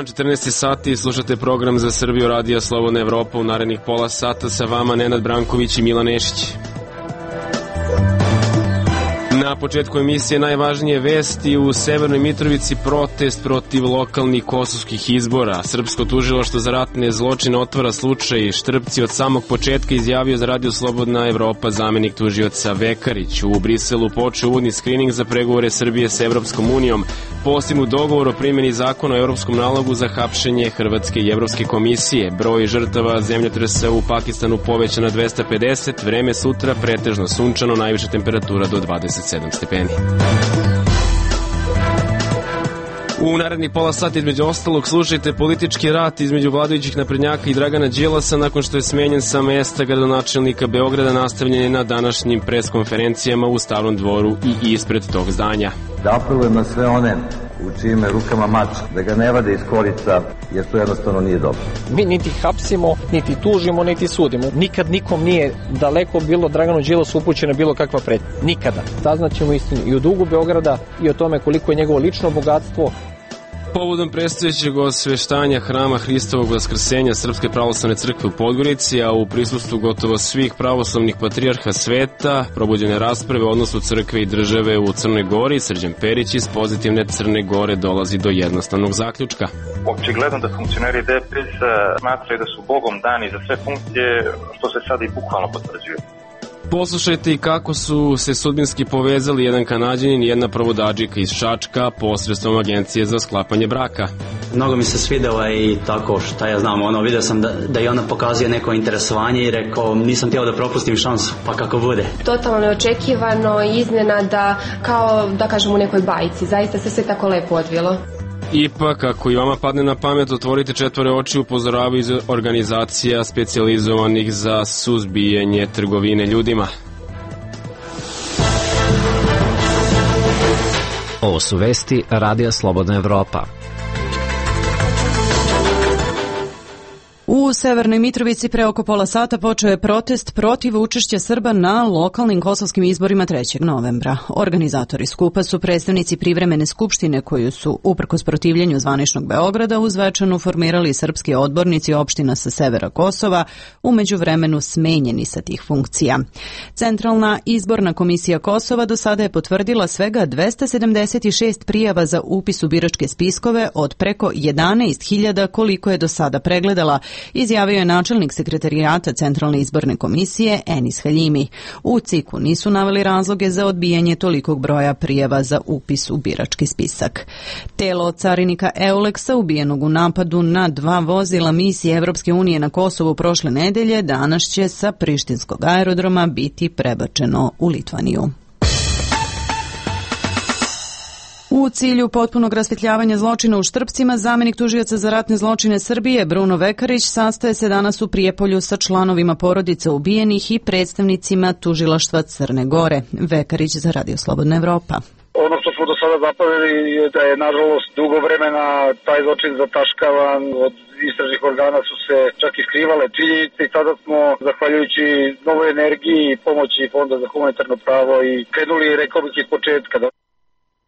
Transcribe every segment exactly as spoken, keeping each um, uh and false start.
dan, četrnaest sati, slušate program Za Srbiju Radija Slobodna Evropa. U narednih pola sata sa vama Nenad Branković i Milan Nešić. Na početku emisije najvažnije vesti. U Severnoj Mitrovici protest protiv lokalnih kosovskih izbora. Srpsko tužilaštvo za ratne zločine otvara slučaj Štrpci od samog početka, izjavio za Radio Slobodna Evropa zamenik tužioca Vekarić. U Briselu počeo uvodni skrining za pregovore Srbije sa Evropskom unijom. Postignut dogovor o primjeni zakona o evropskom nalogu za hapšenje Hrvatske i Evropske komisije. Broj žrtava zemljotresa u Pakistanu povećan na dvesta pedeset, vreme sutra pretežno sunčano, najviša temperatura do dvadeset sedam stepeni. U naredni pola sata između ostalog slušajte politički rat između vladajućih naprednjaka i Dragana Đilasa nakon što je smenjen sa mesta gradonačelnika Beograda, nastavljen je na današnjim preskonferencijama u Starom dvoru i ispred tog zdanja. Da apelujem na sve one u čijim rukama mač, da ga ne vade iz korica, jer to jednostavno nije dobro. Mi niti hapsimo, niti tužimo, niti sudimo. Nikad nikom nije daleko bilo Draganu Đilasu upućena bilo kakva pretnja. Nikada. Saznaćemo istinu i o dugu Beograda i o tome koliko je njegovo lično bogatstvo. Povodom predstojećeg osveštanja Hrama Hristovog Vaskrsenja Srpske pravoslavne crkve u Podgorici, a u prisustvu gotovo svih pravoslavnih patrijarha sveta, probuđene rasprave o odnosu crkve i države u Crnoj Gori, Srđan Perić iz pozitivne Crne Gore dolazi do jednostavnog zaključka. Očigledno da funkcioneri D P S smatraju da su Bogom dani za sve funkcije, što se sad i bukvalno potvrđuje. Poslušajte i kako su se sudbinski povezali jedan Kanađanin i jedna provodadžika iz Čačka posredstvom agencije za sklapanje braka. Mnogo mi se svidela i tako, šta ja znam, ono, vidio sam da, da je ona pokazuje neko interesovanje i rekao, nisam htio da propustim šansu, pa kako bude. Totalno neočekivano, iznenada, kao da kažem u nekoj bajci, zaista se sve tako lepo odvilo. Ipak, ako i vama padne na pamet, otvorite četvore oči, upozoravaju iz organizacija specijalizovanih za suzbijanje trgovine ljudima. Ovo su vesti Radija Slobodna Evropa. U Severnoj Mitrovici pre oko pola sata počeo je protest protiv učešća Srba na lokalnim kosovskim izborima trećeg novembra. Organizatori skupa su predstavnici privremene skupštine koju su, uprkos protivljenju zvaničnog Beograda, uz večanu formirali srpski odbornici opština sa severa Kosova, u međuvremenu smenjeni sa tih funkcija. Centralna izborna komisija Kosova do sada je potvrdila svega dvesta sedamdeset šest prijava za upis u biračke spiskove od preko jedanaest hiljada koliko je do sada pregledala, izjavio je načelnik sekretarijata Centralne izborne komisije Enis Haljimi. U C I K-u nisu naveli razloge za odbijanje tolikog broja prijava za upis u birački spisak. Telo carinika Euleksa, ubijenog u napadu na dva vozila misije Evropske unije na Kosovu prošle nedelje, danas će sa prištinskog aerodroma biti prebačeno u Litvaniju. U cilju potpunog rasvetljavanja zločina u Štrpcima, zamenik tužioca za ratne zločine Srbije Bruno Vekarić sastaje se danas u Prijepolju sa članovima porodica ubijenih i predstavnicima tužilaštva Crne Gore. Vekarić za Radio Slobodna Evropa. Ono što smo do sada zapavili je da je nažalost dugo vremena taj zločin zataškavan, od istražnih organa su se čak i skrivale činjenice i sada smo, zahvaljujući novoj energiji i pomoći Fonda za humanitarno pravo, i krenuli, rekao bih, iz početka.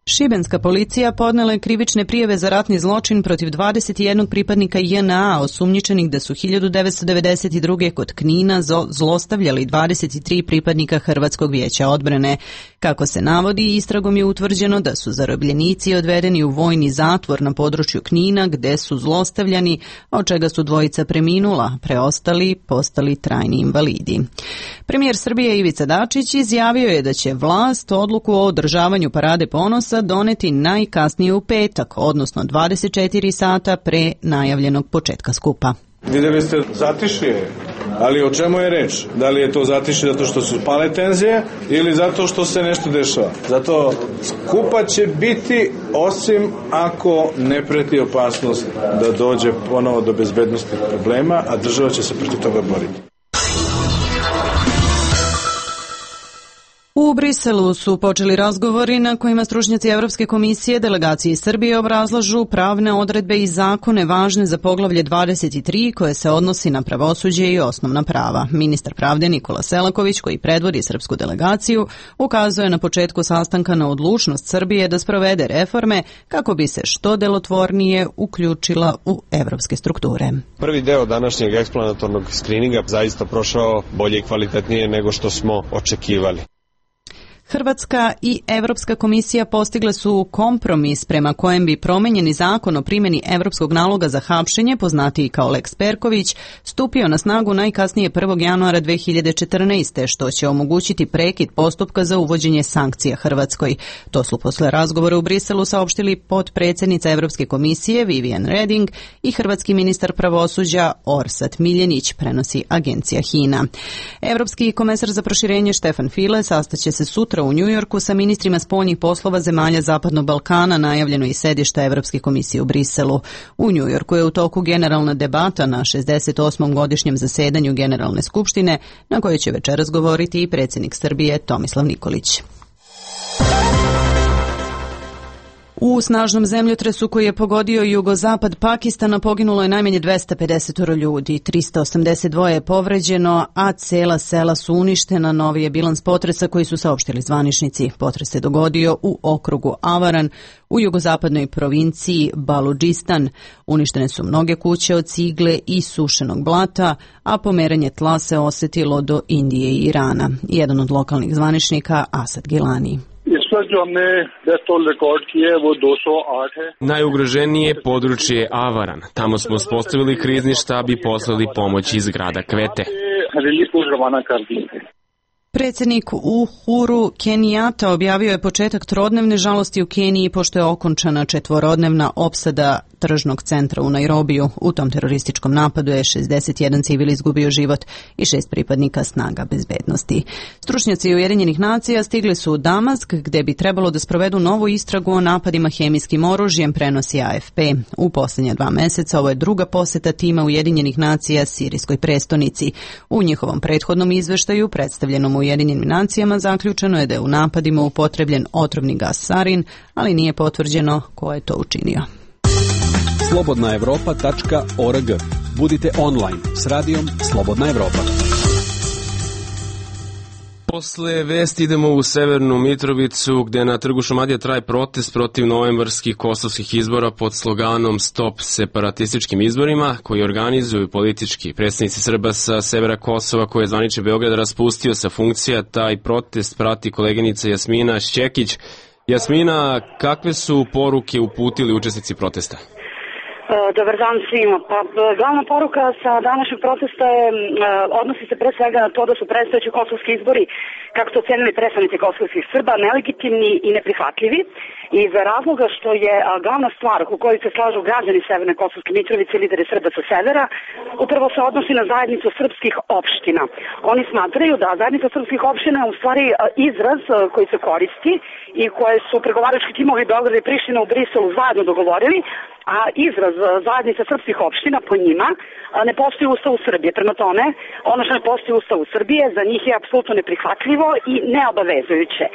Šibenska policija podnela je krivične prijave za ratni zločin protiv dvadeset jedan pripadnika J N A osumnjičenih da su hiljadu devetsto devedeset druge kod Knina zlostavljali dvadeset tri pripadnika Hrvatskog vijeća odbrane. Kako se navodi, istragom je utvrđeno da su zarobljenici odvedeni u vojni zatvor na području Knina gde su zlostavljani, od čega su dvojica preminula, preostali postali trajni invalidi. Premijer Srbije Ivica Dačić izjavio je da će vlast odluku o održavanju Parade ponosa doneti najkasnije u petak, odnosno dvadeset četiri sata pre najavljenog početka skupa. Vidjeli ste zatišje, ali o čemu je reč? Da li je to zatišje zato što su pale tenzije ili zato što se nešto dešava? Zato skupa će biti, osim ako ne preti opasnost da dođe ponovo do bezbednosti problema, a država će se protiv toga boriti. U U Briselu su počeli razgovori na kojima stručnjaci Evropske komisije delegaciji Srbije obrazlažu pravne odredbe i zakone važne za poglavlje dvadeset tri koje se odnosi na pravosuđe i osnovna prava. Ministar pravde Nikola Selaković, koji predvodi srpsku delegaciju, ukazuje na početku sastanka na odlučnost Srbije da sprovede reforme kako bi se što delotvornije uključila u evropske strukture. Prvi deo današnjeg eksplanatornog skrininga zaista prošao bolje i kvalitetnije nego što smo očekivali. Hrvatska i Evropska komisija postigle su kompromis prema kojem bi promenjeni zakon o primjeni evropskog naloga za hapšenje, poznatiji kao Lex Perković, stupio na snagu najkasnije prvog januara dve hiljade četrnaeste. što će omogućiti prekid postupka za uvođenje sankcija Hrvatskoj. To su posle razgovora u Briselu saopštili potpredsjednica Evropske komisije Vivian Reding i hrvatski ministar pravosuđa Orsat Miljenić, prenosi agencija HINA. Evropski komesar za proširenje Štefan File sastaće se sutra u Njujorku sa ministrima spoljnih poslova zemalja Zapadnog Balkana, najavljeno i sedišta Evropske komisije u Briselu. U Njujorku je u toku generalna debata na šezdeset osmom godišnjem zasedanju Generalne skupštine, na kojoj će večeras govoriti i predsjednik Srbije Tomislav Nikolić. U snažnom zemljotresu koji je pogodio jugozapad Pakistana poginulo je najmanje dvesta pedeset ljudi, trista osamdeset dva je povređeno, a cela sela su uništena. Novi je bilans potresa koji su saopštili zvaničnici. Potres se dogodio u okrugu Avaran u jugozapadnoj provinciji Baludžistan. Uništene su mnoge kuće od cigle i sušenog blata, a pomeranje tla se osetilo do Indije i Irana. Jedan od lokalnih zvaničnika, Asad Gilani. Najugroženije područje je Avaran. Tamo smo uspostavili krizni štab i poslali pomoć iz grada Kvete. Predsjednik Uhuru Kenijata objavio je početak trodnevne žalosti u Keniji pošto je okončana četvorodnevna opsada tržnog centra u Nairobiju. U tom terorističkom napadu je šezdeset jedan civil izgubio život i šest pripadnika snaga bezbednosti. Stručnjaci Ujedinjenih nacija stigli su u Damask, gde bi trebalo da sprovedu novu istragu o napadima hemijskim oružjem, prenosi A F P. U posljednja dva meseca ovo je druga poseta tima Ujedinjenih nacija sirijskoj prestonici. U njihovom prethodnom izveštaju predstavljenom Ujedinjenim nacijama zaključeno je da je u napadima upotrebljen otrovni gas sarin, ali nije potvrđeno ko je to učinio. slobodna evropa tačka org. Budite online s radijom Slobodna Evropa. Posle vesti idemo u Severnu Mitrovicu, gde na trgu Šumadija traje protest protiv novembarskih kosovskih izbora pod sloganom Stop separatističkim izborima, koji organizuju politički predstavnici Srba sa severa Kosova, koje je zvanični Beograd raspustio sa funkcija. Taj protest prati koleginica Jasmina Šćekić. Jasmina, kakve su poruke uputili učesnici protesta? Dobar dan svima. Pa, glavna poruka sa današnjeg protesta je, odnosi se pre svega na to da su predstojeći kosovski izbori, kako to ocenili predstavnici kosovskih Srba, nelegitimni i neprihvatljivi, iz razloga što je glavna stvar u kojoj se slažu građani Severne Kosovske Mitrovice, lideri Srba sa severa, upravo se odnosi na zajednicu srpskih opština. Oni smatraju da zajednica srpskih opština je u stvari izraz koji se koristi i koje su pregovarački timovi Beograda i Priština u Briselu zajedno dogovorili, a izraz zajednica srpskih opština po njima ne postoji u Ustavu Srbije. Prema tome, ono što ne postoji u Ustavu Srbije za njih je apsolutno neprihvatljivo i neobavezujuće.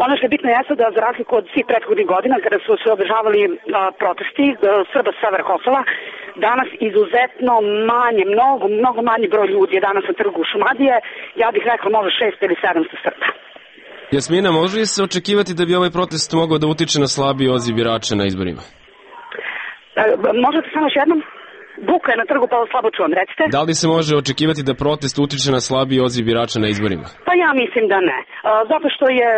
Ono što je bitno jeste da za razliku od svih prethodnih godina kada su se održavali a, protesti a, Srba sa severa Kosova, danas izuzetno manje, mnogo, mnogo manji broj ljudi je danas na trgu Šumadije, ja bih rekla možda šest ili sedamsto Srba. Jasmina, može li se očekivati da bi ovaj protest mogao da utiče na slabiji odziv birača na izborima? Možete samo još jednom? Buka je na trgu, pa slabo čuvam, recite. Da li se može očekivati da protest utiče na slabiji odziv birača na izborima? Pa ja mislim da ne. Zato što je,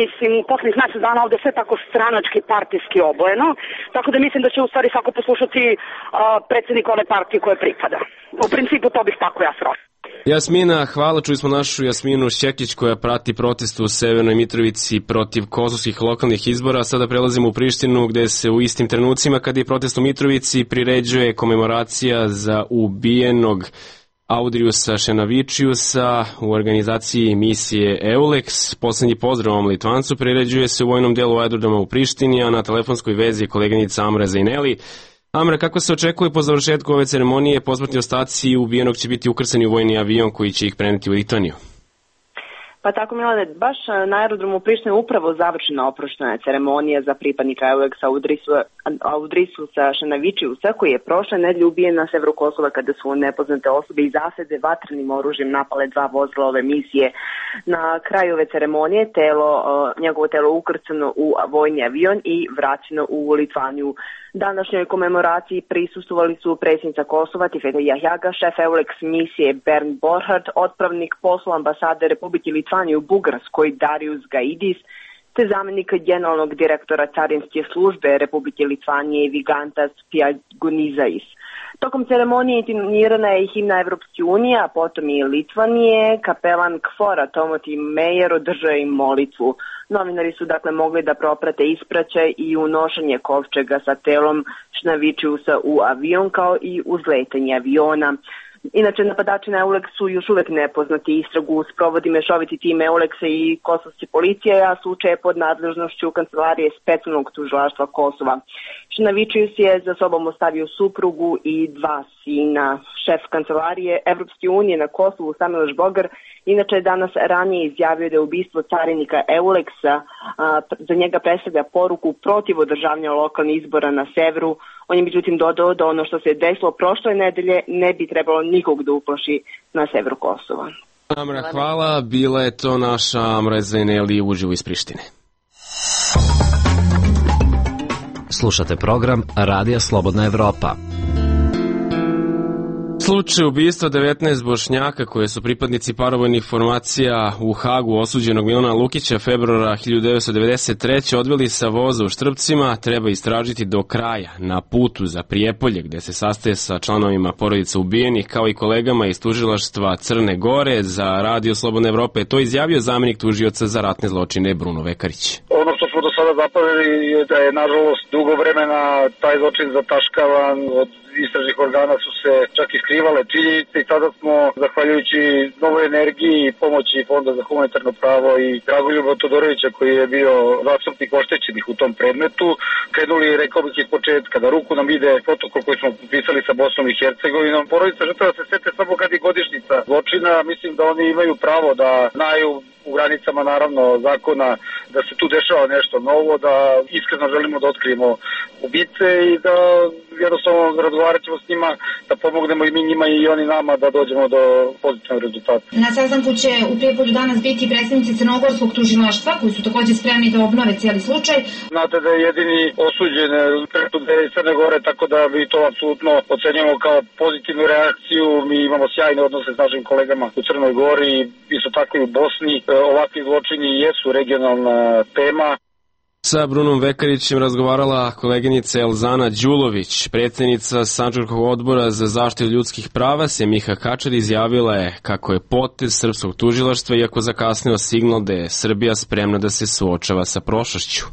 mislim, u poslednjih mesec dana ovde sve tako stranački, partijski obojeno, tako da mislim da će u stvari svako poslušati predsjednika one partije koje pripada. U principu to bih tako ja srošla. Jasmina, hvala, čuli smo našu Jasminu Šćekić koja prati protest u Severnoj Mitrovici protiv kosovskih lokalnih izbora. Sada prelazimo u Prištinu gde se u istim trenucima kada je protest u Mitrovici priređuje komemoracija za ubijenog Audrijusa Šenavičiusa u organizaciji misije EULEX. Poslednji pozdrav ovom Litvancu priređuje se u vojnom delu aerodroma u Prištini, a na telefonskoj vezi je koleginica Amra Zajneli. Amra, kako se očekuje po završetku ove ceremonije, posmrtni ostaci ubijenog će biti ukrcani u vojni avion koji će ih preneti u Litvaniju? Pa tako, Milane, baš na aerodromu Prištine upravo završena oproštena ceremonija za pripadnika Euleksa Audrisusa Šenavičiusa, koji je prošle nedelje ubijen na severu Kosova kada su nepoznate osobe iz zasede vatrenim oružjem napale dva vozila ove misije. Na kraju ove ceremonije telo, njegovo telo ukrcano u vojni avion i vraćeno u Litvaniju. Današnjoj komemoraciji prisustvovali su predsjednica Kosova Tifeta Jahjaga, šef Euleks misije Bernd Borchardt, otpravnik posla ambasade Republike Litvanije u Bugarskoj Darius Gaidis, te zamjenik generalnog direktora carinske službe Republike Litvanije Vigantas Piagonizais. Tokom ceremonije intonirana je i himna Evropske unije, a potom i Litvanije. Kapelan Kfora Timothy Meyer održao im molitvu. Novinari su dakle mogli da proprate ispraćaj i unošenje kovčega sa telom Šenavičiusa u avion, kao i uzletanje aviona. Inače, napadači na Euleks su još uvek nepoznati. Istragu sprovodi mešoviti tim Euleksa i kosovske policije, a slučaj je pod nadležnošću kancelarije specijalnog tužilaštva Kosova. Šenavičius je za sobom ostavio suprugu i dva sina. Šef kancelarije Evropske unije na Kosovu, Samuel Žbogar, inače je danas ranije izjavio da je ubistvo carinika Euleksa a, za njega predstavlja poruku protiv održavanja lokalnih izbora na severu. On je međutim dodao da ono što se desilo prošle nedelje ne bi trebalo nikog da uplaši na severu Kosova. Amra, hvala. Bila je to naša Amra Zveneli uživo iz Prištine. Slušate program Radija Slobodna Evropa. Slučaj ubistva devetnaest Bošnjaka koje su pripadnici paravojnih formacija u Hagu osuđenog Milana Lukića februara hiljadu devetsto devedeset treće odveli sa voza u Štrpcima treba istražiti do kraja na putu za Prijepolje, gde se sastaje sa članovima porodica ubijenih kao i kolegama iz tužilaštva Crne Gore. Za Radio Slobodne Evrope je to izjavio zamjenik tužioca za ratne zločine Bruno Vekarić. Ono što smo do sada zapamtili je da je nažalost dugo vremena taj zločin zataškavan, od istražnih organa su se čak i skrivale činjenice i sada smo, zahvaljujući novoj energiji i pomoći Fonda za humanitarno pravo i Dragoljuba Todorovića koji je bio zastupnik oštećenih u tom predmetu, krenuli, rekao bih, iz početka, da ruku nam ide protokol koji smo potpisali sa Bosnom i Hercegovinom. Porodica žrtava se sete samo kad je godišnjica zločina, mislim da oni imaju pravo da znaju u granicama naravno zakona da se tu dešava nešto novo, da iskreno želimo da otkrijemo ubice i da jednostavno razgovarat ćemo s njima, da pomognemo i mi njima i oni nama da dođemo do pozitivnog rezultata. Na sastanku će u Prijepolju danas biti predstavnici Crnogorskog tužilaštva koji su takođe spremni da obnove cijeli slučaj. Znate da je jedini osuđen presude iz Crne Gore, tako da mi to apsolutno ocenjujemo kao pozitivnu reakciju. Mi imamo sjajne odnose s našim kolegama u Crnoj Gori i isto tako i u Bosni. Ovakvi zločini jesu regionalna tema. Sa Brunom Vekarićem razgovarala koleginica Elzana Đulović, predsjednica Sandžačkog odbora za zaštitu ljudskih prava. Semiha Kačar izjavila je kako je potez srpskog tužilaštva iako zakasnio signal da je Srbija spremna da se suočava sa prošlošću.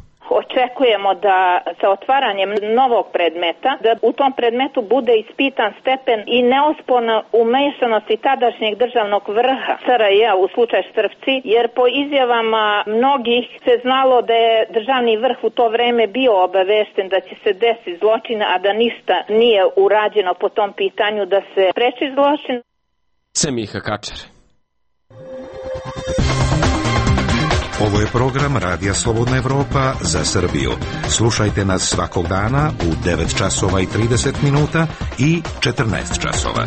Očekujemo da sa otvaranjem novog predmeta, da u tom predmetu bude ispitan stepen i neosporna umešanosti tadašnjeg državnog vrha S R J u slučaj Štrpci, jer po izjavama mnogih se znalo da je državni vrh u to vreme bio obavešten da će se desiti zločin, a da ništa nije urađeno po tom pitanju da se spreči zločin. Semiha Kačar. Ovo je program Radija Slobodna Evropa za Srbiju. Slušajte nas svakog dana u devet časova i trideset minuta i četrnaest časova.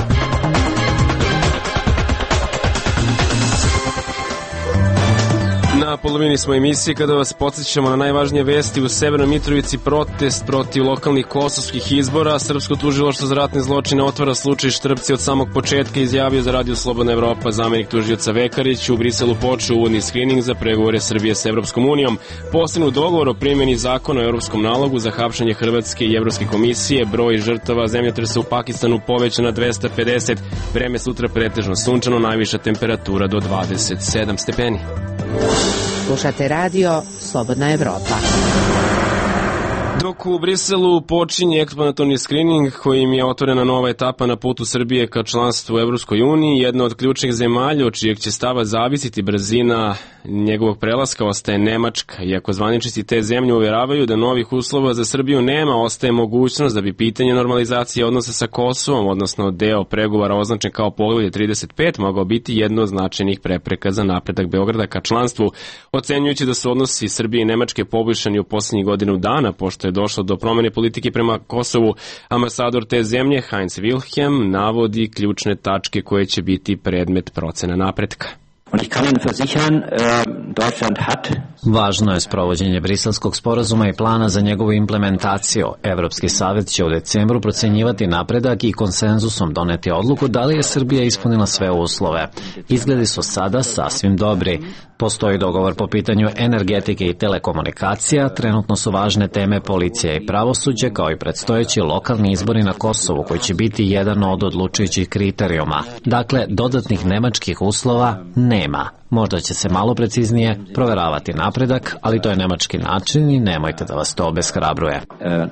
Na polovini smo emisije kada vas podsjećamo na najvažnije vesti. U Severnoj Mitrovici protest protiv lokalnih kosovskih izbora. Srpsko tužilaštvo za ratne zločine otvara slučaj Štrpci od samog početka, izjavio za Radio Slobodna Evropa zamjenik tužioca Vekarić. U Briselu počeo uvodni skrining za pregovore Srbije sa Evropskom unijom. Postignut dogovor o primjeni zakona o Evropskom nalogu za hapšenje Hrvatske i Evropske komisije. Broj žrtava zemljotresa u Pakistanu povećan na dvesta pedeset. Vreme sutra pretežno sunčano, najviša temperatura do dvadeset sedam stepeni. Slušate Radio Slobodna Evropa. Dok dok u Briselu počinje eksplanatorni skrining kojim je otvorena nova etapa na putu Srbije ka članstvu u Evropskoj uniji, jedna od ključnih zemalja od čijeg će stava zavisiti brzina njegovog prelaska ostaje Nemačka. Iako zvaničnici te zemlje uvjeravaju da novih uslova za Srbiju nema, ostaje mogućnost da bi pitanje normalizacije odnosa sa Kosovom, odnosno deo pregovora označen kao poglavlje trideset pet, mogao biti jedno od značajnih prepreka za napredak Beograda ka članstvu, ocenjujući da su odnosi Srbije i Nemačke poboljšani u poslednjih godinu dana, pošto je došlo do promene politike prema Kosovu. Ambasador te zemlje, Heinz Wilhelm, navodi ključne tačke koje će biti predmet procena napretka. Važno je sprovođenje Briselskog sporazuma i plana za njegovu implementaciju. Evropski savjet će u decembru procenjivati napredak i konsenzusom doneti odluku da li je Srbija ispunila sve uslove. Izgledi su sada sasvim dobri. Postoji dogovor po pitanju energetike i telekomunikacija, trenutno su važne teme policija i pravosuđe, kao i predstojeći lokalni izbori na Kosovu, koji će biti jedan od odlučujućih kriterijuma. Dakle, dodatnih nemačkih uslova nema. Možda će se malo preciznije proveravati napredak, ali to je nemački način i nemojte da vas to obeshrabruje.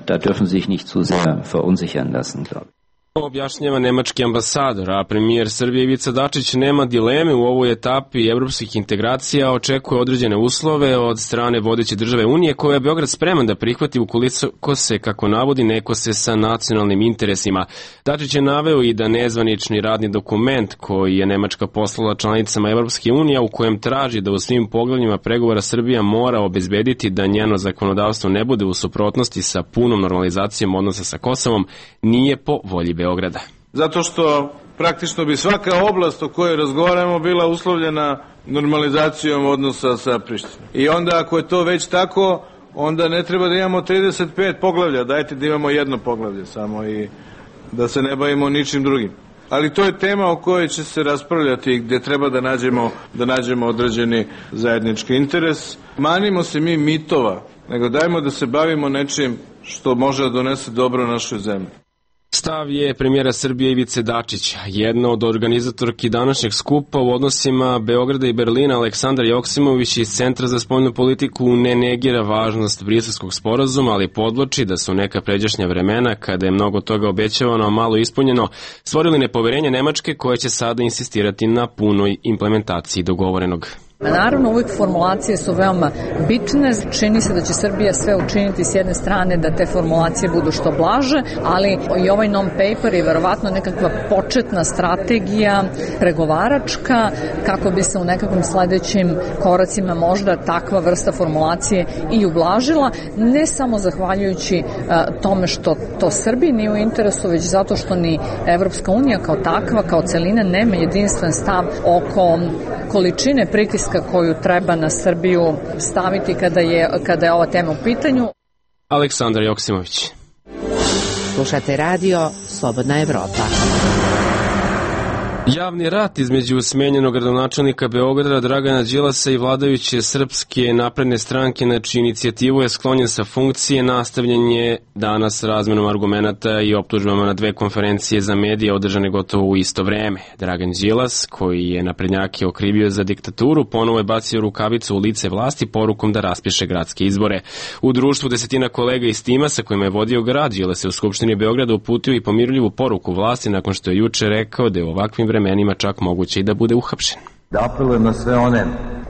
Da dürfen sich nicht zu sehr verunsichern lassen, glaube ich. Objašnjava nemački ambasador, a premijer Srbije Ivica Dačić nema dileme u ovoj etapi evropskih integracija, očekuje određene uslove od strane vodeće države Unije koje je Beograd spreman da prihvati ukoliko se, kako navodi, neko se sa nacionalnim interesima. Dačić je naveo i da nezvanični radni dokument koji je Nemačka poslala članicama Evropske unije, u kojem traži da u svim poglavljima pregovora Srbija mora obezbediti da njeno zakonodavstvo ne bude u suprotnosti sa punom normalizacijom odnosa sa Kosovom, nije po volji Beograda. Zato što praktično bi svaka oblast o kojoj razgovaramo bila uslovljena normalizacijom odnosa sa Prištinom. I onda ako je to već tako, onda ne treba da imamo trideset pet poglavlja, dajte da imamo jedno poglavlje samo i da se ne bavimo ničim drugim. Ali to je tema o kojoj će se raspravljati gde treba da nađemo, da nađemo određeni zajednički interes. Manimo se mi mitova, nego dajmo da se bavimo nečim što može da donese dobro našoj zemlji. Stav je premijera Srbije Ivice Dačića. Jedna od organizatorki današnjeg skupa u odnosima Beograda i Berlina, Aleksandar Joksimović iz Centra za spoljnu politiku, ne negira važnost Briselskog sporazuma, ali podvlači da su neka pređašnja vremena, kada je mnogo toga obećavano, a malo ispunjeno, stvorili nepoverenje Nemačke koja će sada insistirati na punoj implementaciji dogovorenog. Naravno, uvijek formulacije su veoma bitne. Čini se da će Srbija sve učiniti s jedne strane da te formulacije budu što blaže, ali i ovaj non-paper je verovatno nekakva početna strategija pregovaračka kako bi se u nekakvim sledećim koracima možda takva vrsta formulacije i ublažila, ne samo zahvaljujući tome što to Srbiji nije u interesu, već zato što ni Evropska unija kao takva, kao celina, nema jedinstven stav oko količine pritiska koju treba na Srbiju staviti kada je, kada je ova tema u pitanju. Aleksandar Joksimović. Slušate radio Slobodna Evropa. Javni rat između smenjenog gradonačelnika Beograda Dragana Đilasa i vladajuće Srpske napredne stranke, na čiju inicijativu je sklonjen sa funkcije, nastavljen je danas razmenom argumenata i optužbama na dve konferencije za medije održane gotovo u isto vreme. Dragan Đilas, koji je naprednjake okrivio za diktaturu, ponovo je bacio rukavicu u lice vlasti porukom da raspiše gradske izbore. U društvu desetina kolega iz tima sa kojima je vodio grad, Đilas je u Skupštini Beograda uputio i pomirljivu poruku vlasti nakon što je juče rekao da je u ovakvim vremenima čak moguće i da bude uhapšen. Da apelujem na sve one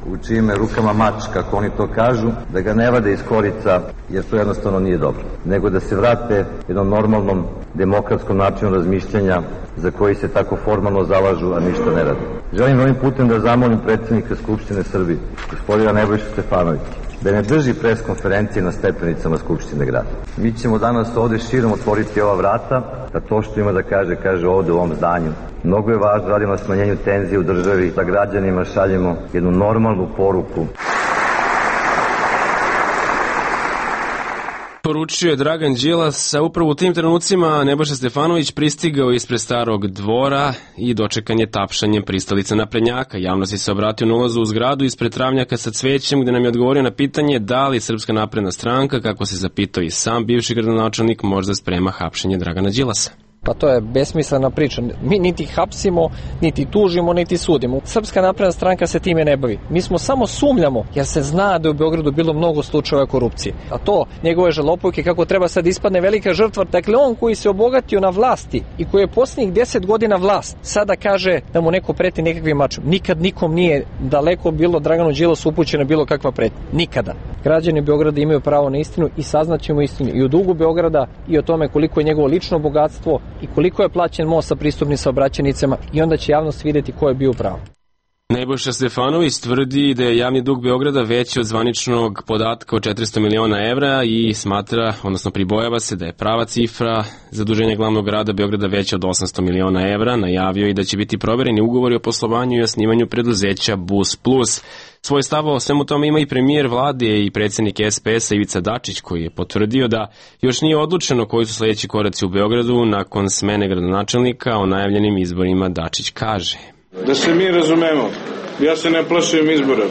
u čijim rukama mač, kako oni to kažu, da ga ne vade iz korica, jer to jednostavno nije dobro, nego da se vrate jednom normalnom demokratskom načinu razmišljanja za koji se tako formalno zalažu, a ništa ne rade. Želim ovim putem da zamolim predsjednika Skupštine Srbije, gospodina Nebojšu Stefanovića, da ne drži pres konferencije na stepenicama Skupštine grada. Mi ćemo danas ovde širom otvoriti ova vrata, da to što ima da kaže, kaže ovde u ovom zdanju. Mnogo je važno, radimo na smanjenju tenzije u državi, da građanima šaljemo jednu normalnu poruku. Poručio je Dragan Đilas, a upravo u tim trenucima Nebojša Stefanović pristigao ispred Starog dvora i dočekan je tapšanjem pristalica naprednjaka. Javnosti se obratio na ulazu u zgradu ispred travnjaka sa cvećem, gde nam je odgovorio na pitanje da li Srpska napredna stranka, kako se zapitao i sam bivši gradonačelnik, možda sprema hapšenje Dragana Đilasa. Pa to je besmislena priča. Mi niti hapsimo, niti tužimo, niti sudimo. Srpska napredna stranka se time ne bavi. Mi smo samo sumljamo, jer se zna da je u Beogradu bilo mnogo slučajeva korupcije. A to, njegove žalopojke, kako treba sad ispadne velika žrtva. Dakle, on koji se obogatio na vlasti i koji je posljednjih deset godina vlast, sada kaže da mu neko preti nekakvim mačom. Nikad nikom nije daleko bilo Draganu Đilasu upućena bilo kakva pretnja. Nikada. Građani Beograda imaju pravo na istinu i saznaćemo istinu i o dugu Beograda i o tome koliko je njegovo lično bogatstvo i koliko je plaćen most sa pristupnim saobraćajnicama i onda će javnost vidjeti ko je bio pravo. Nebojša Stefanović tvrdi da je javni dug Beograda veći od zvaničnog podatka od četiristo miliona evra i smatra, odnosno pribojava se da je prava cifra zaduženja glavnog grada Beograda veća od osamsto miliona evra. Najavio i da će biti provereni ugovori o poslovanju i osnivanju preduzeća Bus Plus. Svoj stav o svemu tome ima i premijer vlade i predsjednik S P S-a Ivica Dačić, koji je potvrdio da još nije odlučeno koji su sljedeći koraci u Beogradu nakon smene gradonačelnika. O najavljenim izborima Dačić kaže: Da se mi razumemo, ja se ne plašim izbora.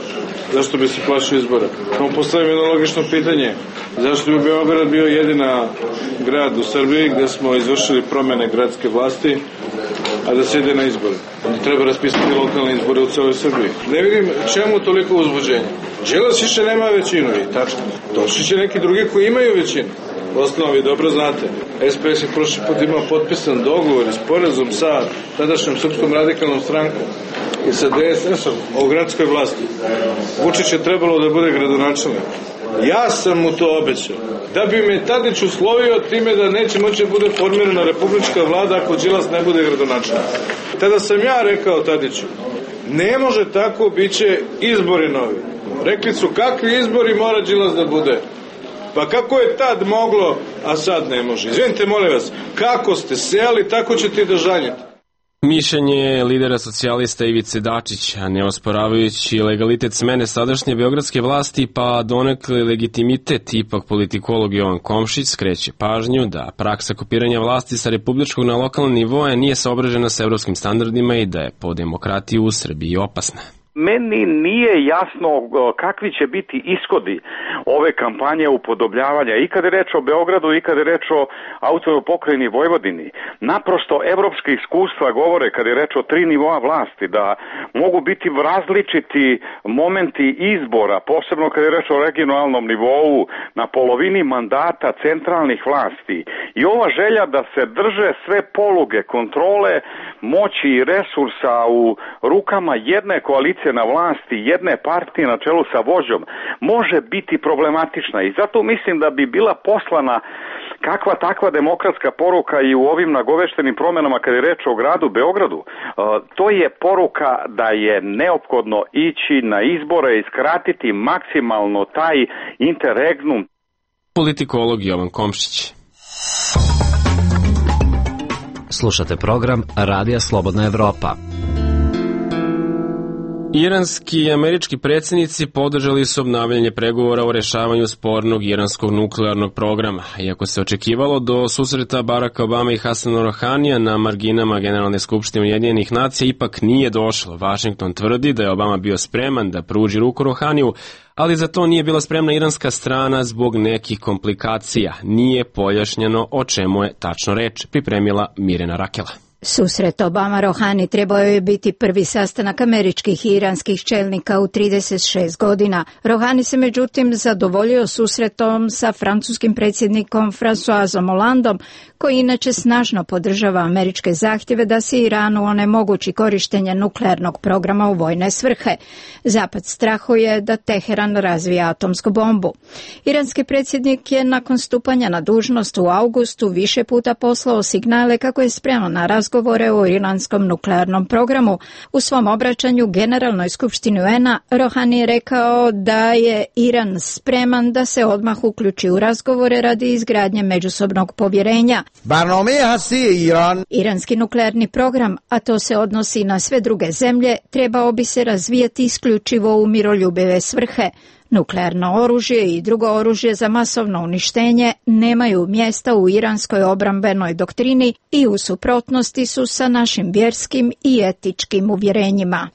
Zašto bi se plašio izbora? Samo postavim jedno logično pitanje. Zašto bi Beograd bio jedina grad u Srbiji gde smo izvršili promene gradske vlasti, a da se ide na izbore? Onda treba raspisati lokalne izbore u celoj Srbiji. Ne vidim čemu toliko uzbuđenje. Đilas više nema većinu i tačno. Došli će neki drugi koji imaju većinu. Osnovi, vi dobro znate. S P S je prošli put imao potpisan dogovor i sporazum sa tadašnjom Srpskom radikalnom strankom i sa D S S-om o gradskoj vlasti. Vučić je trebalo da bude gradonačelnik. Ja sam mu to obećao. Da bi me Tadić uslovio time da neće moći da bude formirana republička vlada ako Đilas ne bude gradonačelnik. Tada sam ja rekao Tadiću, ne može tako, bit će izbori novi. Rekli su, kakvi izbori mora Đilas da bude? Pa kako je tad moglo, a sad ne može? Izvinite, molim vas, kako ste sejali, tako ćete i da žanjete. Mišljenje lidera socijalista Ivice Dačića, ne osporavajući legalitet smene sadašnje beogradske vlasti, pa donekle legitimitet, ipak politikolog Jovan Komšić skreće pažnju da praksa kopiranja vlasti sa republičkog na lokalni nivoa nije saobražena sa evropskim standardima i da je po demokratiju u Srbiji opasna. Meni nije jasno kakvi će biti ishodi ove kampanje upodobljavanja i kad je reč o Beogradu i kad je reč o autonomnoj pokrajini Vojvodini. Naprosto evropske iskustva govore kad je reč o tri nivoa vlasti da mogu biti različiti momenti izbora, posebno kad je reč o regionalnom nivou na polovini mandata centralnih vlasti. I ova želja da se drže sve poluge kontrole moći i resursa u rukama jedne koalicije na vlasti, jedne partije na čelu sa vođom, može biti problematična i zato mislim da bi bila poslana kakva takva demokratska poruka i u ovim nagoveštenim promenama kad je reč o gradu Beogradu. To je poruka da je neophodno ići na izbore i skratiti maksimalno taj interregnum. Politikolog Jovan Komšić. Slušate program Radija Slobodna Evropa. Iranski i američki predsjednici podržali su obnavljanje pregovora o rešavanju spornog iranskog nuklearnog programa. Iako se očekivalo do susreta Baracka Obama i Hasana Rouhanija na marginama Generalne skupštine Ujedinjenih nacija, ipak nije došlo. Washington tvrdi da je Obama bio spreman da pruži ruku Rouhaniju, ali za to nije bila spremna iranska strana zbog nekih komplikacija. Nije pojašnjeno o čemu je tačno reč, pripremila Mirena Rakela. Susret Obama-Rouhani trebao je biti prvi sastanak američkih i iranskih čelnika u trideset šest godina. Rouhani se međutim zadovoljio susretom sa francuskim predsjednikom Françoisom Hollandom, koji inače snažno podržava američke zahtjeve da se Iranu onemogući korištenje nuklearnog programa u vojne svrhe. Zapad strahuje da Teheran razvija atomsku bombu. Iranski predsjednik je nakon stupanja na dužnost u augustu više puta poslao signale kako je spreman na razgovore o iranskom nuklearnom programu. U svom obraćanju Generalnoj skupštini U N-a Rouhani je rekao da je Iran spreman da se odmah uključi u razgovore radi izgradnje međusobnog povjerenja. Iranski nuklearni program, a to se odnosi na sve druge zemlje, trebao bi se razvijati isključivo u miroljubive svrhe. Nuklearno oružje i drugo oružje za masovno uništenje nemaju mjesta u iranskoj obrambenoj doktrini i u suprotnosti su sa našim vjerskim i etičkim uvjerenjima.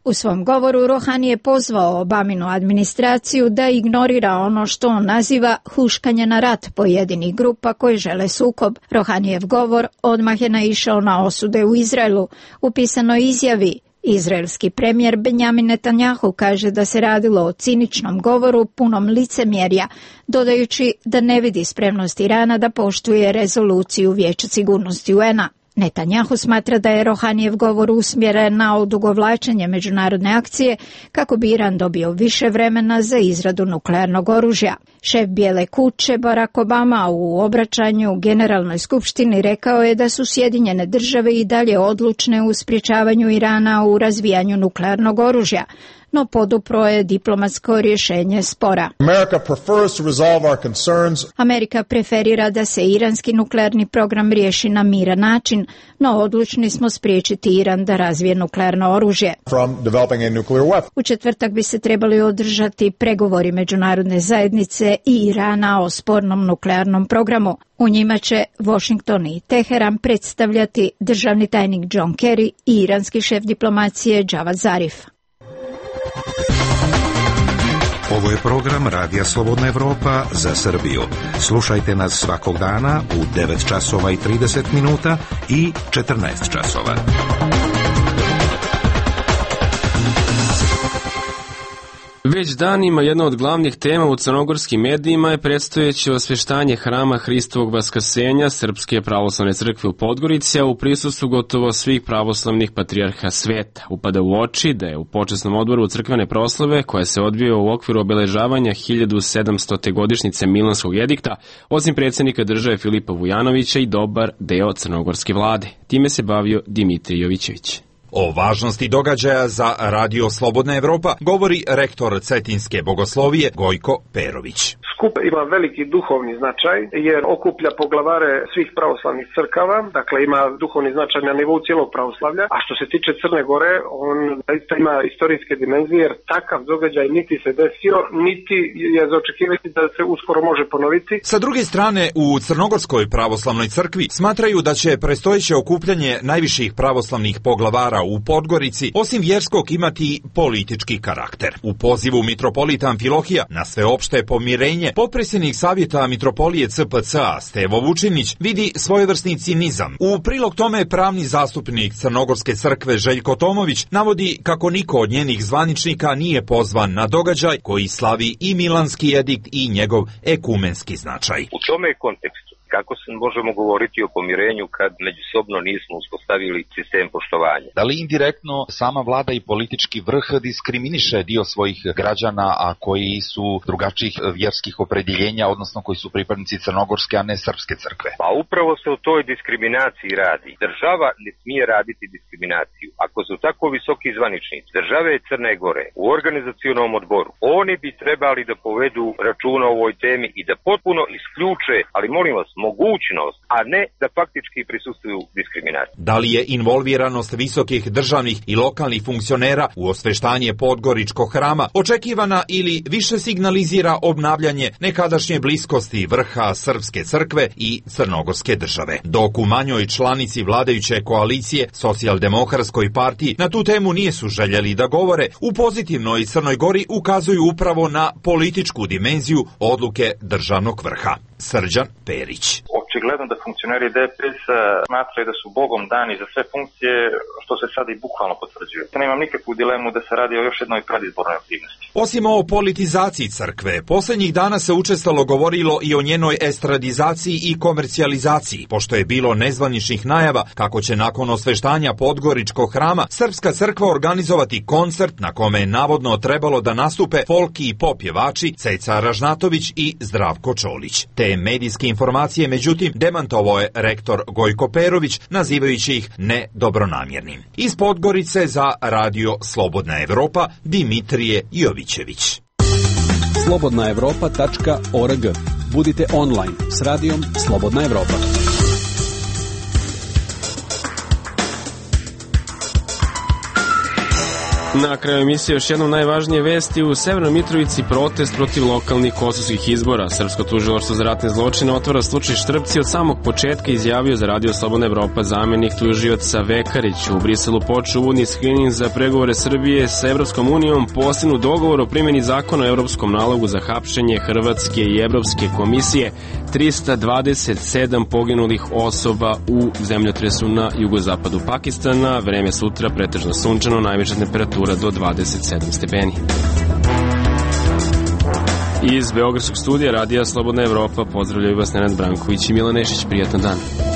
U svom govoru Rohani je pozvao Obaminu administraciju da ignorira ono što on naziva huškanje na rat pojedinih grupa koje žele sukob. Rohanijev govor odmah je naišao na osude u Izraelu. U pisanoj izjavi izraelski premijer Benjamin Netanjahu kaže da se radilo o ciničnom govoru punom licemjerja, dodajući da ne vidi spremnost Irana da poštuje rezoluciju Vijeća sigurnosti U N-a. Netanjahu smatra da je Rohanijev govor usmjeren na odugovlačenje međunarodne akcije kako bi Iran dobio više vremena za izradu nuklearnog oružja. Šef Bijele kuće Barack Obama u obraćanju Generalnoj skupštini rekao je da su Sjedinjene države i dalje odlučne u sprječavanju Irana u razvijanju nuklearnog oružja, no podupro je diplomatsko rješenje spora. Amerika preferira da se iranski nuklearni program riješi na miran način, no odlučni smo spriječiti Iran da razvije nuklearno oružje. U četvrtak bi se trebali održati pregovori međunarodne zajednice i Irana o spornom nuklearnom programu. U njima će Washington i Teheran predstavljati državni tajnik John Kerry i iranski šef diplomacije Javad Zarif. Ovo je program Radija Slobodna Evropa za Srbiju. Slušajte nas svakog dana u devet časova i trideset minuta i četrnaest časova. Već danima jedna od glavnih tema u crnogorskim medijima je predstojeće osveštanje hrama Hristovog vaskrsenja Srpske pravoslavne crkve u Podgorici, a u prisustvu gotovo svih pravoslavnih patrijarha sveta. Upada u oči da je u počasnom odboru crkvene proslave, koja se odvija u okviru obeležavanja hiljadu sedamstote godišnjice Milanskog edikta, osim predsjednika države Filipa Vujanovića i dobar deo crnogorske vlade. Time se bavio Dimitrij Jovićević. O važnosti događaja za Radio Slobodna Evropa govori rektor Cetinske bogoslovije Gojko Perović. Skup ima veliki duhovni značaj jer okuplja poglavare svih pravoslavnih crkava, dakle ima duhovni značaj na nivou cijelog pravoslavlja, a što se tiče Crne Gore, on zaista ima istorijske dimenzije jer takav događaj niti se desio, niti je za očekivati da se uskoro može ponoviti. Sa druge strane, u Crnogorskoj pravoslavnoj crkvi smatraju da će predstojeće okupljanje najviših pravoslavnih poglavara u Podgorici, osim vjerskog, imati politički karakter. U pozivu mitropolita Amfilohija na sveopšte pomirenje, potpredsjednik savjeta mitropolije C P C-a Stevo Vučinić vidi svojevrsni cinizam. U prilog tome pravni zastupnik Crnogorske crkve Željko Tomović navodi kako niko od njenih zvaničnika nije pozvan na događaj koji slavi i Milanski edikt i njegov ekumenski značaj. U tome kontekstu kako se možemo govoriti o pomirenju kad međusobno nismo uspostavili sistem poštovanja? Da li indirektno sama vlada i politički vrh diskriminiše dio svojih građana, a koji su drugačijih vjerskih opredjeljenja, odnosno koji su pripadnici Crnogorske, a ne Srpske crkve? Pa upravo se o toj diskriminaciji radi. Država ne smije raditi diskriminaciju. Ako su tako visoki zvaničnici države Crne Gore u organizacionom odboru, oni bi trebali da povedu računa o ovoj temi i da potpuno isključe, ali molim vas, mogućnost, a ne da faktički prisustvuju diskriminaciji. Da li je involviranost visokih državnih i lokalnih funkcionera u osveštanje Podgoričkog hrama očekivana ili više signalizira obnavljanje nekadašnje bliskosti vrha Srpske crkve i Crnogorske države? Dok u manjoj članici vladajuće koalicije Socijaldemokratskoj partiji na tu temu nisu željeli da govore, u pozitivnoj Crnoj Gori ukazuju upravo na političku dimenziju odluke državnog vrha. Srđan Perić. Očigledno da funkcioneri D P S-a smatraju da su Bogom dani za sve funkcije, što se sada i bukvalno potvrđuje. Nemam nikakvu dilemu da se radi o još jednoj predizbornoj aktivnosti. Osim o politizaciji crkve, posljednjih dana se učestalo govorilo i o njenoj estradizaciji i komercijalizaciji, pošto je bilo nezvaničnih najava kako će nakon osveštanja Podgoričkog hrama Srpska crkva organizovati koncert na kome je navodno trebalo da nastupe folki i pop pjevači Ceca Ražnatović i Zdravko Čolić. Te medijske informacije, međutim, demantovao je rektor Gojko Perović, nazivajući ih nedobronamjernim. Iz Podgorice za Radio Slobodna Evropa, Dimitrije Jovićević. slobodna evropa tačka org. Budite online s radijom Slobodna Evropa. Na kraju emisije još jednom najvažnije vesti. U Severnoj Mitrovici protest protiv lokalnih kosovskih izbora. Srpsko tužilaštvo za ratne zločine otvara slučaj Štrpci od samog početka, izjavio za Radio Slobodna Evropa zamenik tužioca Vekarić. U Briselu počeo uvodni skrining za pregovore Srbije sa Evropskom unijom, postignut dogovor o primjeni zakona o evropskom nalogu za hapšenje Hrvatske i Evropske komisije, trista dvadeset sedam poginulih osoba u zemljotresu na jugozapadu Pakistana. Vreme sutra pretežno sunčano, najviša temperatura do dvadeset sedam stepeni. Iz Beogradskog studija Radija Slobodna Evropa pozdravljaju vas Nenad Branković i Milan Nešić. Prijatan dan.